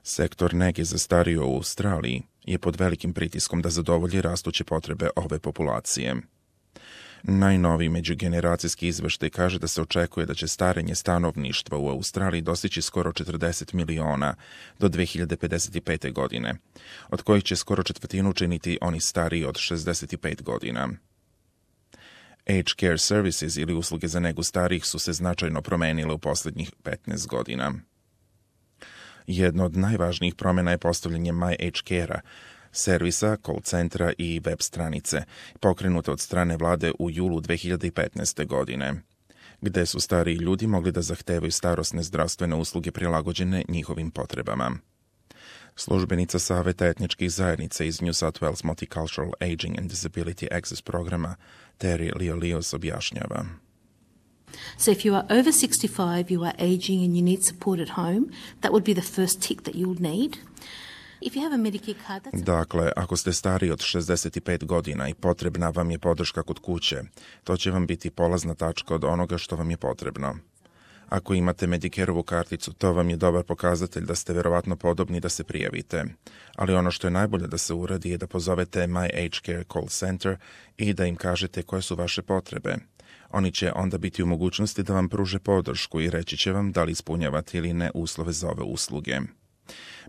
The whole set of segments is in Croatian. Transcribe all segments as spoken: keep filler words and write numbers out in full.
Sektor nege za starije u Australiji je pod velikim pritiskom da zadovolji rastuće potrebe ove populacije. Najnoviji međugeneracijski izveštaj kaže da se očekuje da će starenje stanovništva u Australiji dostići skoro četrdeset miliona do dve hiljade pedeset pete. godine, od kojih će skoro četvrtinu činiti oni stariji od šezdeset pet godina. Aged care services ili usluge za negu starijih su se značajno promenile u posljednjih petnaest godina. Jedna od najvažnijih promjena je postavljanje My Aged Care-a, servisa, call centra i web stranice, pokrenute od strane vlade u julu dve hiljade petnaeste. godine, gde su stariji ljudi mogli da zahtevaju starosne zdravstvene usluge prilagođene njihovim potrebama. Službenica Saveta etničkih zajednica iz New South Wales Multicultural Aging and Disability Access programa Terry Liolios objašnjava. So if you are over sixty-five, you are aging and you need support at home, that would be the first tick that you'll need. If you have a Medicare card, that's... Dakle, ako ste stariji od šezdeset pet godina i potrebna vam je podrška kod kuće, to će vam biti polazna tačka od onoga što vam je potrebno. Ako imate Medicareovu karticu, to vam je dobar pokazatelj da ste verovatno podobni da se prijavite. Ali ono što je najbolje da se uradi je da pozovete My Aged Care Call Center i da im kažete koje su vaše potrebe. Oni će onda biti u mogućnosti da vam pruže podršku i reći će vam da li ispunjavate ili ne uslove za ove usluge.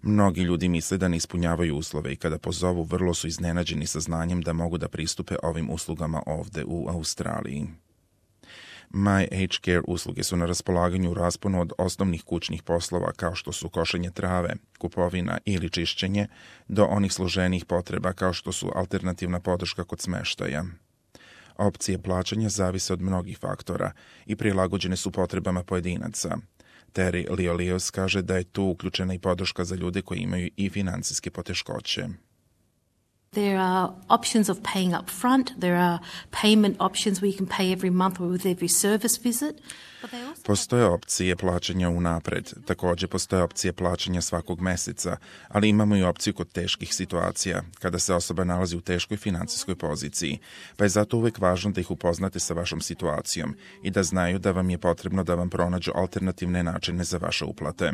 Mnogi ljudi misle da ne ispunjavaju uslove i kada pozovu vrlo su iznenađeni sa znanjem da mogu da pristupe ovim uslugama ovde u Australiji. My Aged Care usluge su na raspolaganju u rasponu od osnovnih kućnih poslova kao što su košenje trave, kupovina ili čišćenje, do onih složenijih potreba kao što su alternativna podrška kod smeštaja. Opcije plaćanja zavise od mnogih faktora i prilagođene su potrebama pojedinaca. Terry Liolios kaže da je tu uključena i podrška za ljude koji imaju i financijske poteškoće. There are options of paying up front. There are payment options where you can pay every month or with every service visit. Postoje opcije plaćanja unapred. Također postoje opcije plaćanja svakog meseca, ali imamo i opciju kod teških situacija, kada se osoba nalazi u teškoj financijskoj poziciji, pa je zato uvek važno da ih upoznate sa vašom situacijom i da znaju da vam je potrebno da vam pronađu alternativne načine za vaše uplate.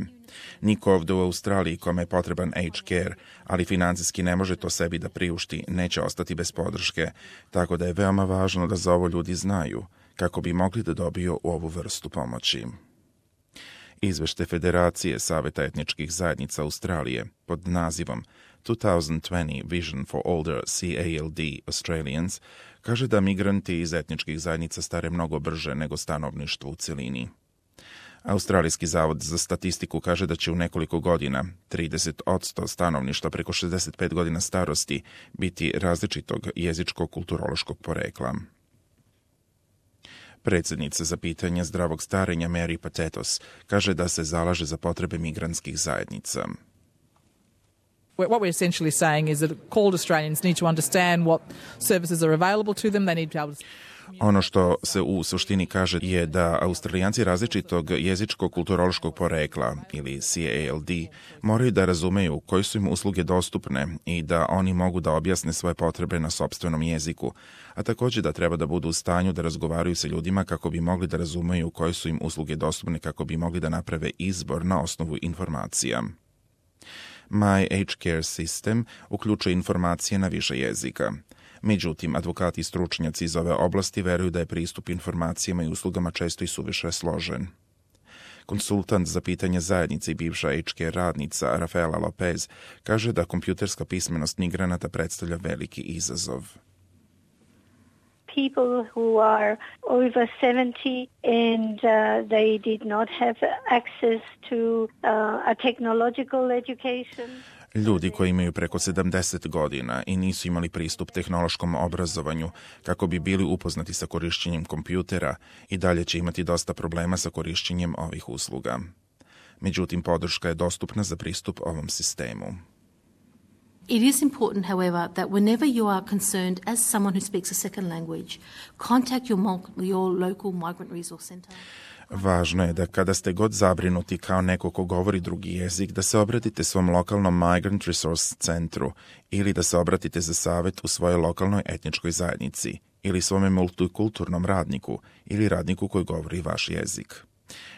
Niko ovde u Australiji kome je potreban aged care, ali financijski ne može to sebi da priušti, neće ostati bez podrške, tako da je veoma važno da za ovo ljudi znaju, kako bi mogli da dobiju ovu vrstu pomoći. Izveštaj Federacije Saveta etničkih zajednica Australije pod nazivom twenty twenty Vision for Older C A L D Australians kaže da migranti iz etničkih zajednica stare mnogo brže nego stanovništvo u celini. Australijski zavod za statistiku kaže da će u nekoliko godina trideset posto stanovništva preko šezdeset pet godina starosti biti različitog jezičko-kulturološkog porekla. Predsjednica za pitanje zdravog starenja Mary Patetos kaže da se zalaže za potrebe migrantskih zajednica. What we're essentially saying is that called Australians need to understand what services are available to them. They need to be able to... Ono što se u suštini kaže je da Australijanci različitog jezičko-kulturološkog porekla ili C A L D moraju da razumeju koje su im usluge dostupne i da oni mogu da objasne svoje potrebe na sopstvenom jeziku, a također da treba da budu u stanju da razgovaraju sa ljudima kako bi mogli da razumeju koje su im usluge dostupne, kako bi mogli da naprave izbor na osnovu informacija. My Aged Care System uključuje informacije na više jezika. Međutim, advokati i stručnjaci iz ove oblasti veruju da je pristup informacijama i uslugama često i suviše složen. Konsultant za pitanje zajednice i bivša aged care radnica Rafaela Lopez kaže da kompjuterska pismenost migranata predstavlja veliki izazov. People who are over seventy and uh, they did not have access to uh, a technological education. Ljudi koji imaju preko sedamdeset godina i nisu imali pristup tehnološkom obrazovanju kako bi bili upoznati sa korišćenjem kompjutera i dalje će imati dosta problema sa korišćenjem ovih usluga. Međutim, podrška je dostupna za pristup ovom sistemu. It is important, however, that whenever you are concerned as someone who speaks a second language, contact your, your local migrant resource centre. Važno je da kada ste god zabrinuti kao neko ko govori drugi jezik, da se obratite svom lokalnom Migrant Resource centru ili da se obratite za savjet u svojoj lokalnoj etničkoj zajednici ili svome multikulturnom radniku ili radniku koji govori vaš jezik.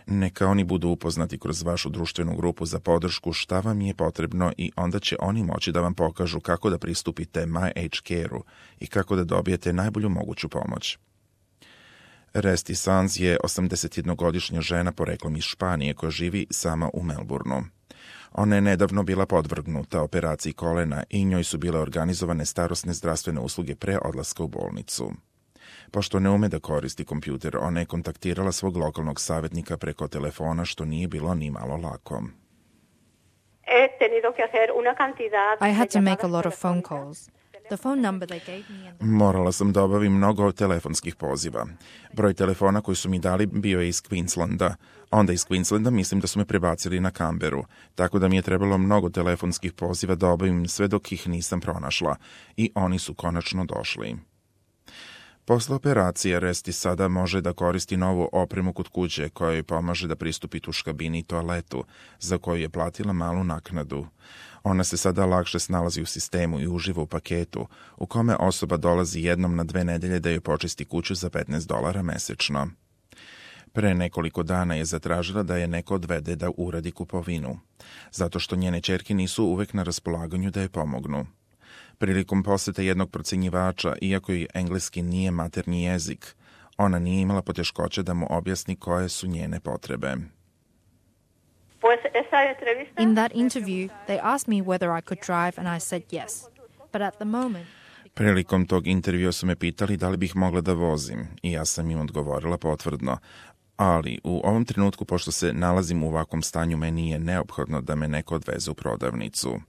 Neka oni budu upoznati kroz vašu društvenu grupu za podršku šta vam je potrebno i onda će oni moći da vam pokažu kako da pristupite MyAgeCare-u i kako da dobijete najbolju moguću pomoć. Resti Sanz je osamdesetjednogodišnja žena poreklom iz Španije koja živi sama u Melbourneu. Ona je nedavno bila podvrgnuta operaciji kolena i njoj su bile organizovane starosne zdravstvene usluge pre odlaska u bolnicu. Pošto ne ume da koristi kompjuter, ona je kontaktirala svog lokalnog savjetnika preko telefona, što nije bilo ni malo lako. I had to make a lot of phone calls. The phone number they gave me and the... Morala sam da obavim mnogo telefonskih poziva. Broj telefona koji su mi dali bio je iz Queenslanda. Onda iz Queenslanda mislim da su me prebacili na Canberru, tako da mi je trebalo mnogo telefonskih poziva da obavim sve dok ih nisam pronašla. I oni su konačno došli. Posle operacije Resti sada može da koristi novu opremu kod kuće koja joj pomaže da pristupi tuškabini i toaletu, za koju je platila malu naknadu. Ona se sada lakše snalazi u sistemu i uživa u paketu, u kome osoba dolazi jednom na dve nedelje da joj počisti kuću za petnaest dolara mesečno. Pre nekoliko dana je zatražila da je neko odvede da uradi kupovinu, zato što njene ćerke nisu uvek na raspolaganju da je pomognu. Prilikom posete jednog procenjivača, iako joj engleski nije maternji jezik, ona nije imala poteškoće da mu objasni koje su njene potrebe. In that interview, they asked me whether I could drive and I said yes. But at the moment... Prilikom tog intervjua su me pitali da li bih mogla da vozim i ja sam im odgovorila potvrdno. Ali u ovom trenutku, pošto se nalazim u ovakvom stanju, meni je neophodno da me neko odveze u prodavnicu.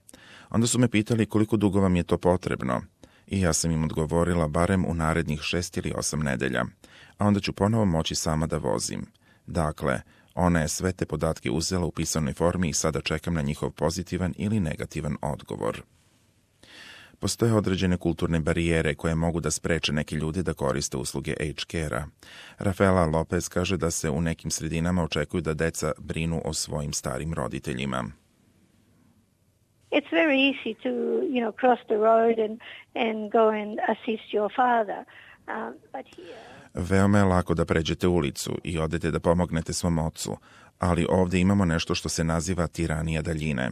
Onda su me pitali koliko dugo vam je to potrebno i ja sam im odgovorila barem u narednih šest ili osam nedelja, a onda ću ponovo moći sama da vozim. Dakle, ona je sve te podatke uzela u pisanoj formi i sada čekam na njihov pozitivan ili negativan odgovor. Postoje određene kulturne barijere koje mogu da spreče neke ljude da koriste usluge AgeCare-a. Rafaela Lopez kaže da se u nekim sredinama očekuju da deca brinu o svojim starim roditeljima. It's very easy to, you know, cross the road and, and go and assist your father. Um, but here... Veoma je lako da pređete ulicu i odete da pomognete svom ocu, ali ovdje imamo nešto što se naziva tiranija daljine.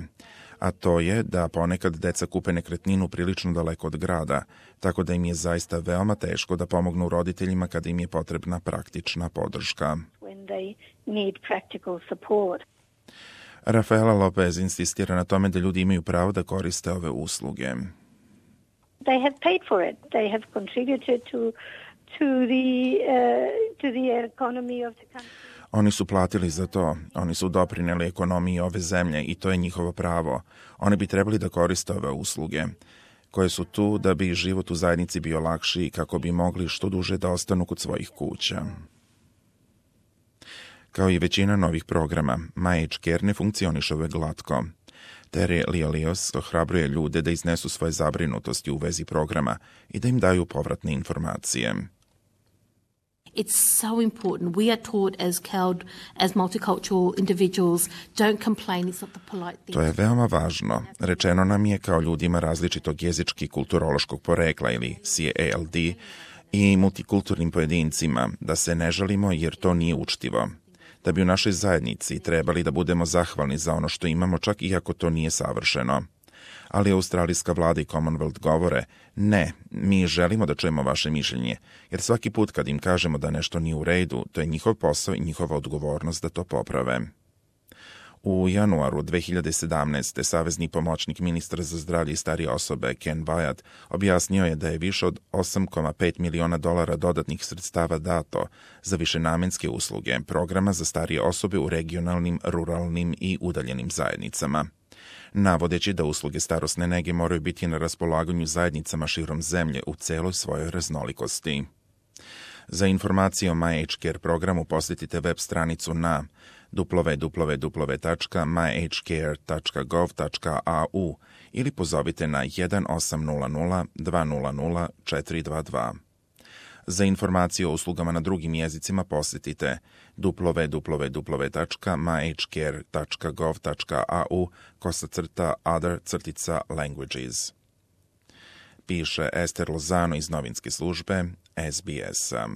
A to je da ponekad deca kupe nekretninu prilično daleko od grada, tako da im je zaista veoma teško da pomognu roditeljima kada im je potrebna praktična podrška. When they need practical support. Rafaela Lopez insistira na tome da ljudi imaju pravo da koriste ove usluge. They have paid for it. They have contributed to to the uh, to the economy of the country. Oni su platili za to. Oni su doprineli ekonomiji ove zemlje i to je njihovo pravo. Oni bi trebali da koriste ove usluge, koje su tu da bi život u zajednici bio lakši i kako bi mogli što duže da ostanu kod svojih kuća. Kao i većina novih programa, MyAgeCare ne funkcioniše uvek glatko. Terry Liolios ohrabruje ljude da iznesu svoje zabrinutosti u vezi programa i da im daju povratne informacije. It's so important. We are taught as C A L D, as multicultural individuals, don't complain, it's not the polite thing. To je veoma važno. Rečeno nam je kao ljudima različitog jezički kulturološkog porekla ili C A L D i multikulturnim pojedincima da se ne žalimo jer to nije učtivo. Da bi u našoj zajednici trebali da budemo zahvalni za ono što imamo, čak iako to nije savršeno. Ali australijska vlada i Commonwealth govore, ne, mi želimo da čujemo vaše mišljenje, jer svaki put kad im kažemo da nešto nije u redu, to je njihov posao i njihova odgovornost da to poprave. U januaru dve hiljade sedamnaeste. savezni pomoćnik ministra za zdravlje i starije osobe Ken Wyatt objasnio je da je više od osam zarez pet miliona dolara dodatnih sredstava dato za višenamenske usluge programa za starije osobe u regionalnim, ruralnim i udaljenim zajednicama, navodeći da usluge starosne nege moraju biti na raspolaganju zajednicama širom zemlje u celoj svojoj raznolikosti. Za informacije o MyAgeCare programu posjetite web stranicu na w w w tačka my age care tačka gov tačka a u ili pozovite na jedan osam nula nula dva nula nula četiri dva dva. Za informacije o uslugama na drugim jezicima posjetite w w w tačka my age care tačka gov tačka a u kosa crta other crtica languages. Piše Ester Lozano iz novinske službe S B S-a.